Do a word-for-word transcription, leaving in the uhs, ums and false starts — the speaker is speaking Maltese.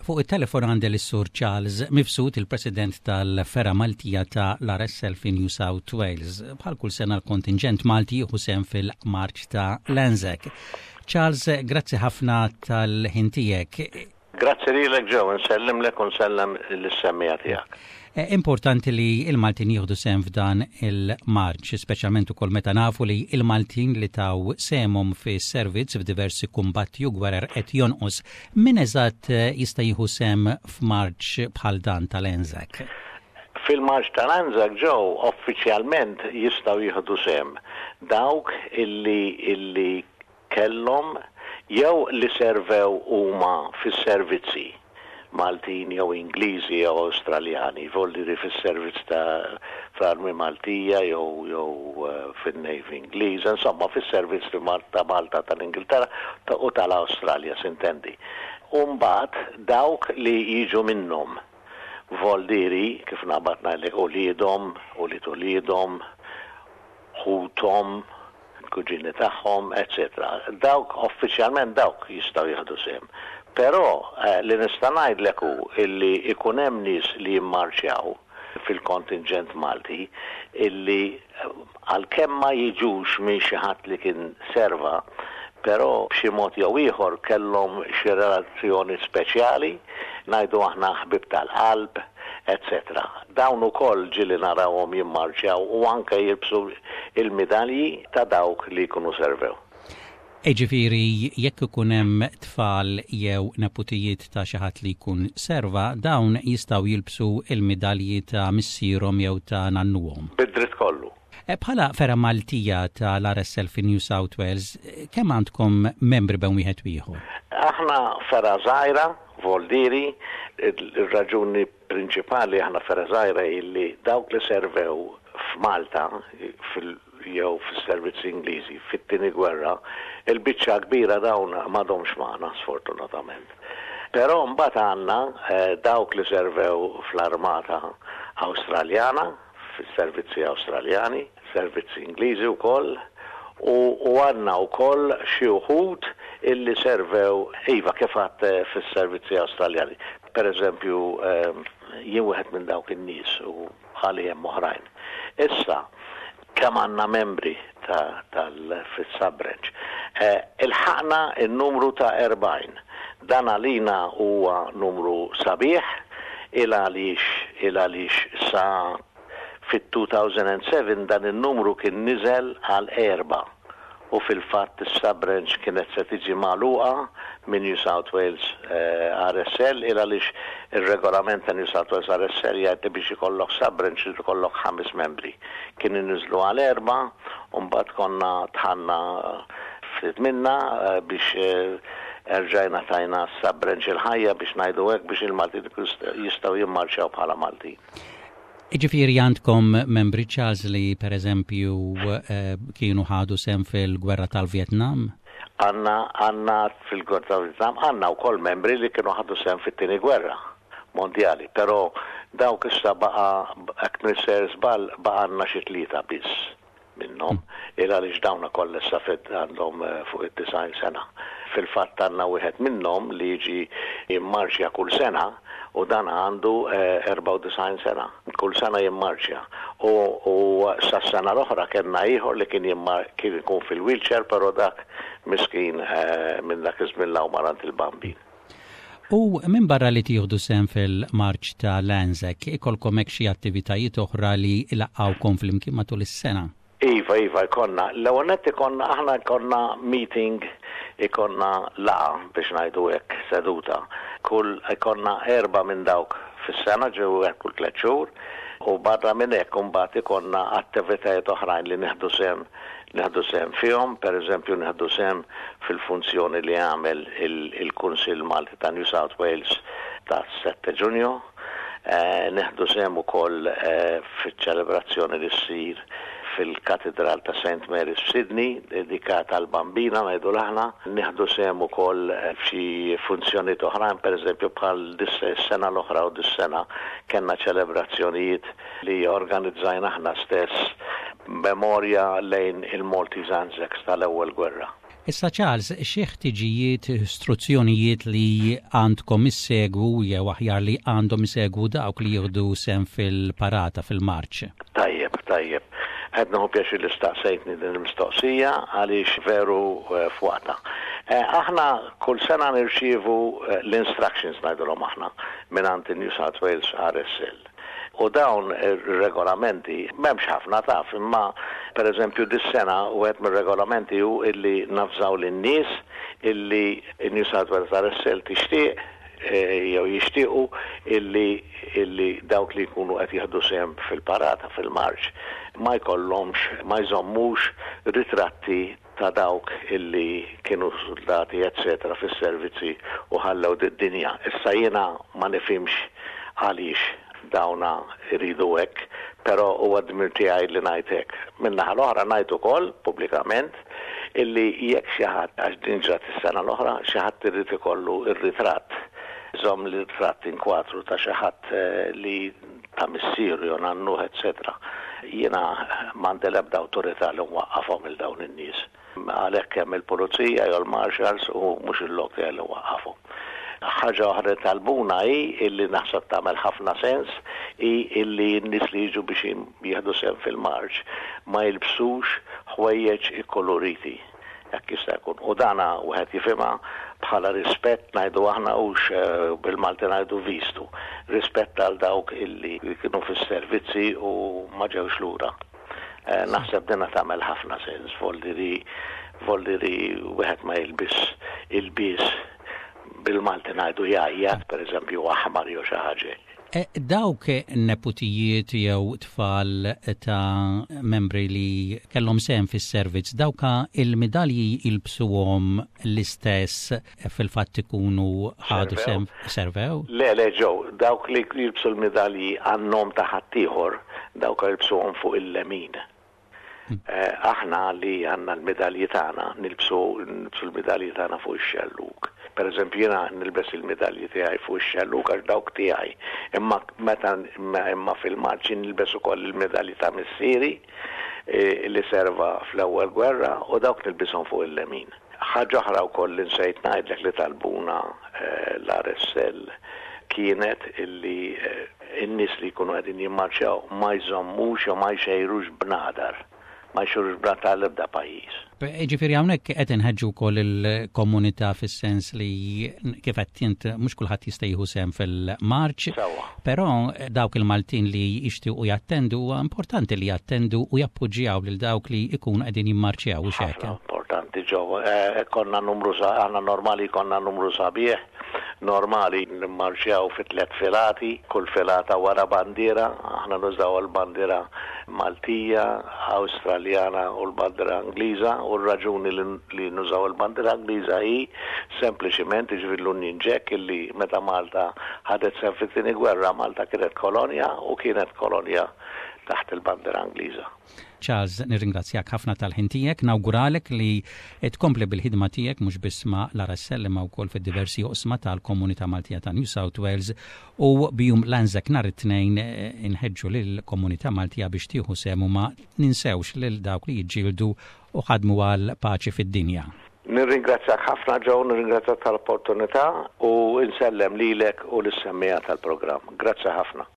Fuq it-telefon għandi lis-Sur Charles Mifsud, il-President tal-Fergħa Maltija ta' l-R S L fi New South Wales. Bħal kull sena l-kontingent Malti jieħu sehem fil-marċ ta' l-Anzac. Charles, grazzi ħafna tal-ħin tiegħek. Grazzi lilek, Joe, nsellimlek u nsellem lis-semmiegħa tiegħek. Eh, importanti li il-Maltin jieħdu sehem f'dan il-marċ, speċjalment ukoll meta nafu li il-Maltin li taw sehemhom fi servizz f'diversi kumbatti u gwerer qed jonqos. Min eżatt eh, jista' jieħu sehem f'marċ bħal dan tal-Anzac? Fil-marċ tal-Anzac, Joe, uffiċjalment jistgħu jieħdu sehem dawk illi illi kellhom jew li servew huma fis-servizzi Maltin jew Ingliżi jew Awstraljani, voldiri fis-servizz ta' fl-Armi Maltija jew jew eh, fin-Navy Ingliż, insomma fis-servizz ta' Malta, tal-Ingilterra u tal-Awstralja, s'intendi. U mbagħad dawk li jiġu minnhom, voldiri kif naqbad ngħidlek uliedhom, ulied uliedhom, ħuthom, kuġini tagħhom, eċċetera. Dawk uffiċjalment dawk jistgħu jieħdu sehem. Però eh, li nista' ngħidlek hu illi ikun hemm nies li jimmarċjaw fil-kontingent Malti illi eh, għalkemm ma jiġux minn xi ħadd li kien serva, però b'xi mod jew ieħor kellhom xi relazzjoni speċjali, ngħidu aħna ħbib tal-qalb, eċċetera. Dawn ukoll ġieli narawhom jimmarċjaw u anke jilbsu il-midalji ta' dawk li jkunu servew. Jiġifieri, jekk ikun hemm tfal jew neputijiet ta' xi ħadd li jkun serva, dawn jistgħu jilbsu il-midalji ta' missierhom jew ta' nannuhom. Bid-dritt kollu. E, bħala fergħa Maltija tal-R S L fi New South Wales, kemm għandkom membri bejn wieħed ieħor? Aħna fergħa żgħira, voldiri, il-raġuni prinċipali aħna fergħa żgħira illi dawk li servew f'Malta fil jew fis-servizzi Ingliżi fit-tieni gwerra, il-biċċa kbira dawn m'għadhomx magħna, sfortunatament. Però mbagħad għandna eh, dawk li servew fl-armata Awstraljana, fis-servizzi Awstraljani, servizzi Ingliżi wkoll, u, u għandna wkoll xi wħud illi servew, iva, kif għedt, eh, fis-servizzi Awstraljani. Per eżempju, eh, jien wieħed minn dawk in-nies u bħali hemm oħrajn. Issa, kemm għandna membri tal fis-sub-branch? Eh, ilħaqna il-numru ta' erbgħin. Dan għalina huwa numru sabiħ il għaliex il għaliex sa fit-elfejn u sebgħa dan il-numru kien niżel għal erba' u fil-fatt is-sub-branch kienet se tiġi magħluqa minn New South Wales eh, R S L, il għaliex ir-regolament ta' New South Wales R S L jgħid li biex ikollok sub-branch irid ikollok ħames membri. Kien niżlu għal erba' u mbagħad konna dħalna ftit minna eh, biex eh, erġajna tajna sub-branch il-ħajja, biex ngħidu hekk, biex il-Maltin jistgħu jimmarċjaw bħala Maltin. Jiġifieri għandkom membri, Charles, li per eżempju eh, kienu ħadu sehem fil-gwerra tal-Vietnam? Għandna għandna fil-gwerra tal-Vietnam, għandna wkoll membri li kienu ħadu sehem fit-tieni gwerra mondjali, però dawk issa baqa, jekk m'iniex sejjer żball, baqa għandna xi tlieta biss minnhom, il għaliex dawna kollha issa fit għandhom eh, fuq id-disgħin sena. Fil-fatt għandna wieħed minnhom li jiġi jimmarċja kull sena u dan għandu eh, erbgħa u disgħin sena. Kull sena jimmarċja. U, u sa sena l-oħra kellna ieħor li kien jimmar kien ikun fil-wheelchair, però dak miskin eh, minn dak iż-żmien 'l hawn mar għand il-Bambin. U minn barra li tieħdu sehem fil-marċ ta' l-Anzac, ikolkom hekk xi attivitajiet oħra li jlaqqgħukom flimkien matul is-sena? Iva, Iva, ikollna. L-ewwel nett ikollna, aħna ikollna meeting, ikollna laqgħa, biex ngħidu hekk, seduta. Kull ikollna erba' minn dawk fis-sena, ġew hekk kull tliet xhur, u barra minn hekk imbagħad ikollna attivitajiet oħrajn li nieħdu sehem nieħdu sehem fihom, per eżempju nieħdu sehem fil-funzjoni li għamel il-Kunsill Malti ta' New South Wales ta' sette Ġunju, eh, nieħdu sehem ukoll eh, fiċ-ċelebrazzjoni li ssir fil-Katedral ta' Saint Mary's f'Sydney, dedikata għall-Bambina, ngħidu aħna. Nieħdu sehem ukoll f'xi funzjonijiet oħrajn, per eżempju bħal dis-sena l-oħra u dis-sena kellna ċelebrazzjonijiet li organizzajna aħna stess, memorja lejn il-Maltese Anzacs tal-ewwel gwerra. Issa Charles, xi ħtiġijiet, istruzzjonijiet li għandkom issegwu jew aħjar li għandhom isegwu dawk li jieħdu sehem fil-parata fil-marċ? Tajjeb, tajjeb. Qed nieħu pjaċir li staqsejtni din il-mistoqsija għaliex veru eh, f'waqtha. Eh, aħna kull sena nirċievu eh, l-instructions ngħidulhom aħna minn New South Wales R S L. U dawn ir-regolamenti m'hemmx ħafna taf, imma per eżempju dis-sena wieħed mir-regolamenti hu illi navżaw lin-nies illi New South Wales R S L tixtieq eh, jew jixtiequ illi illi dawk li jkunu qed jieħdu sehem fil-parata fil-marċ ma jkollhomx, ma jżommux ritratti ta' dawk illi kienu soldati eccetera fis-servizzi u ħallew d-dinja. Issa jiena ma nifhimx għaliex dawna iridu hekk, però huwa dmir tiegħi li ngħid hekk. Min-naħa l-oħra ngħid ukoll pubblikament illi jekk xi ħadd, għax din ġrat is-sena l-oħra, xi ħadd irid ikollu ir-ritratt, żomm l-ritratt inkwatru ta' xi ħadd eh, li ta' missieru jew nannuh eccetera. Jiena m'għandi l-ebda awtorità li nwaqqafhom il dawn in-nies. Għalhekk hemm il-pulizija jew il-marshals u mhux il-lok tiegħi li nwaqqafhom. Ħaġa oħra li talbuna hi illi naħseb tagħmel ħafna sens hi illi n-nies li jiġu biex jieħdu sehem fil-marċ ma jilbsux ħwejjeġ ikkoloriti jekk jista' jkun. U dana wieħed jifhimha bħala rispett, ngħidu aħna hux, eh, bil-Malti ngħidu vistu. Rispett għal dawk illi kienu fis-servizzi u ma ġewx lura. Eh, naħseb dina tagħmel ħafna sens, voldiri voldiri wieħed ma jilbis ilbies bil-Malti ngħidu jgħajjat, per eżempju aħmar jew xi ħaġa. E, dawk neputijiet jew tfal ta' membri li kellhom sehem fis-servizz, dawka il-medalji jilbsuhom l-istess fil-fatt ikunu ħadu sehem, servew? Le, le, Joe, dawk li jilbsu l-medalji għan-nom ta' ħaddieħor, dawk jilbsuhom fuq il-lemin. Hmm. Eh, aħna li għandna l-medalji tagħna nilbsu nilbsu l-medalji tagħna fuq ix-xellug. Per eżempju jiena nilbes il-medalji tiegħi fuq ix-xellug għax dawk tiegħi. Imma meta imma fil-marċi nilbes ukoll il-medalji ta' missieri eh, li serva fl-ewwel gwerra u dawk nilbishom fuq il-lemin. Ħaġa oħra wkoll li nsejt ngħidlek li talbuna eh, l-R S L kienet illi in-nies li jkunu qegħdin jimmarċjaw ma jżommux jew ma jxejrux bnadar, ma jxejrux bnadar tal-ebda pajjiż. Ġifieri hawnhekk qed inħeġġu wkoll il-komunità fis-sens li kif qed int mhux kulħadd jista' jieħu sehem fil-marċ, però dawk il-Maltin li jixtiequ jattendu, huwa importanti li jattendu u jappoġġjaw lil dawk li jkunu qegħdin jimmarċjaw u hekk. Importanti, Joe. Eh, konna numru sa aħna normali konna numru sabiħ, normali nimmarċjaw fi tliet filati, kull filata wara bandiera, aħna nużaw il-bandiera Maltija, Awstraljana u l-bandiera Ingliża, u r-raġuni li nużaw il-bandiera Ingliża hi sempliċiment, ġifieri l-Union Jack, illi meta Malta ħadet sehem fit-tieni gwerra, Malta kienet kolonja u kienet kolonja taħt il-bandiera Ingliża. Charles, nirringrazzjak ħafna tal-ħin tiegħek, nawguralek li tkompli bil-ħidma tiegħek mhux biss ma' l-R S L imma wkoll fid-diversi oqsma tal-Komunità Maltija ta' New South Wales u b'Jum l-Anzac nhar it-Tnejn eh, inħeġġu lill-Komunità Maltija biex tieħu sehem u ma ninsewx lil dawk li jiġġieldu u ħadmu għal paċi fid-dinja. Nirringrazzjak ħafna, Joe, nirringrazzjak tal-opportunità u insellem lilek u lis-semmiegħa tal-programm. Grazzi ħafna.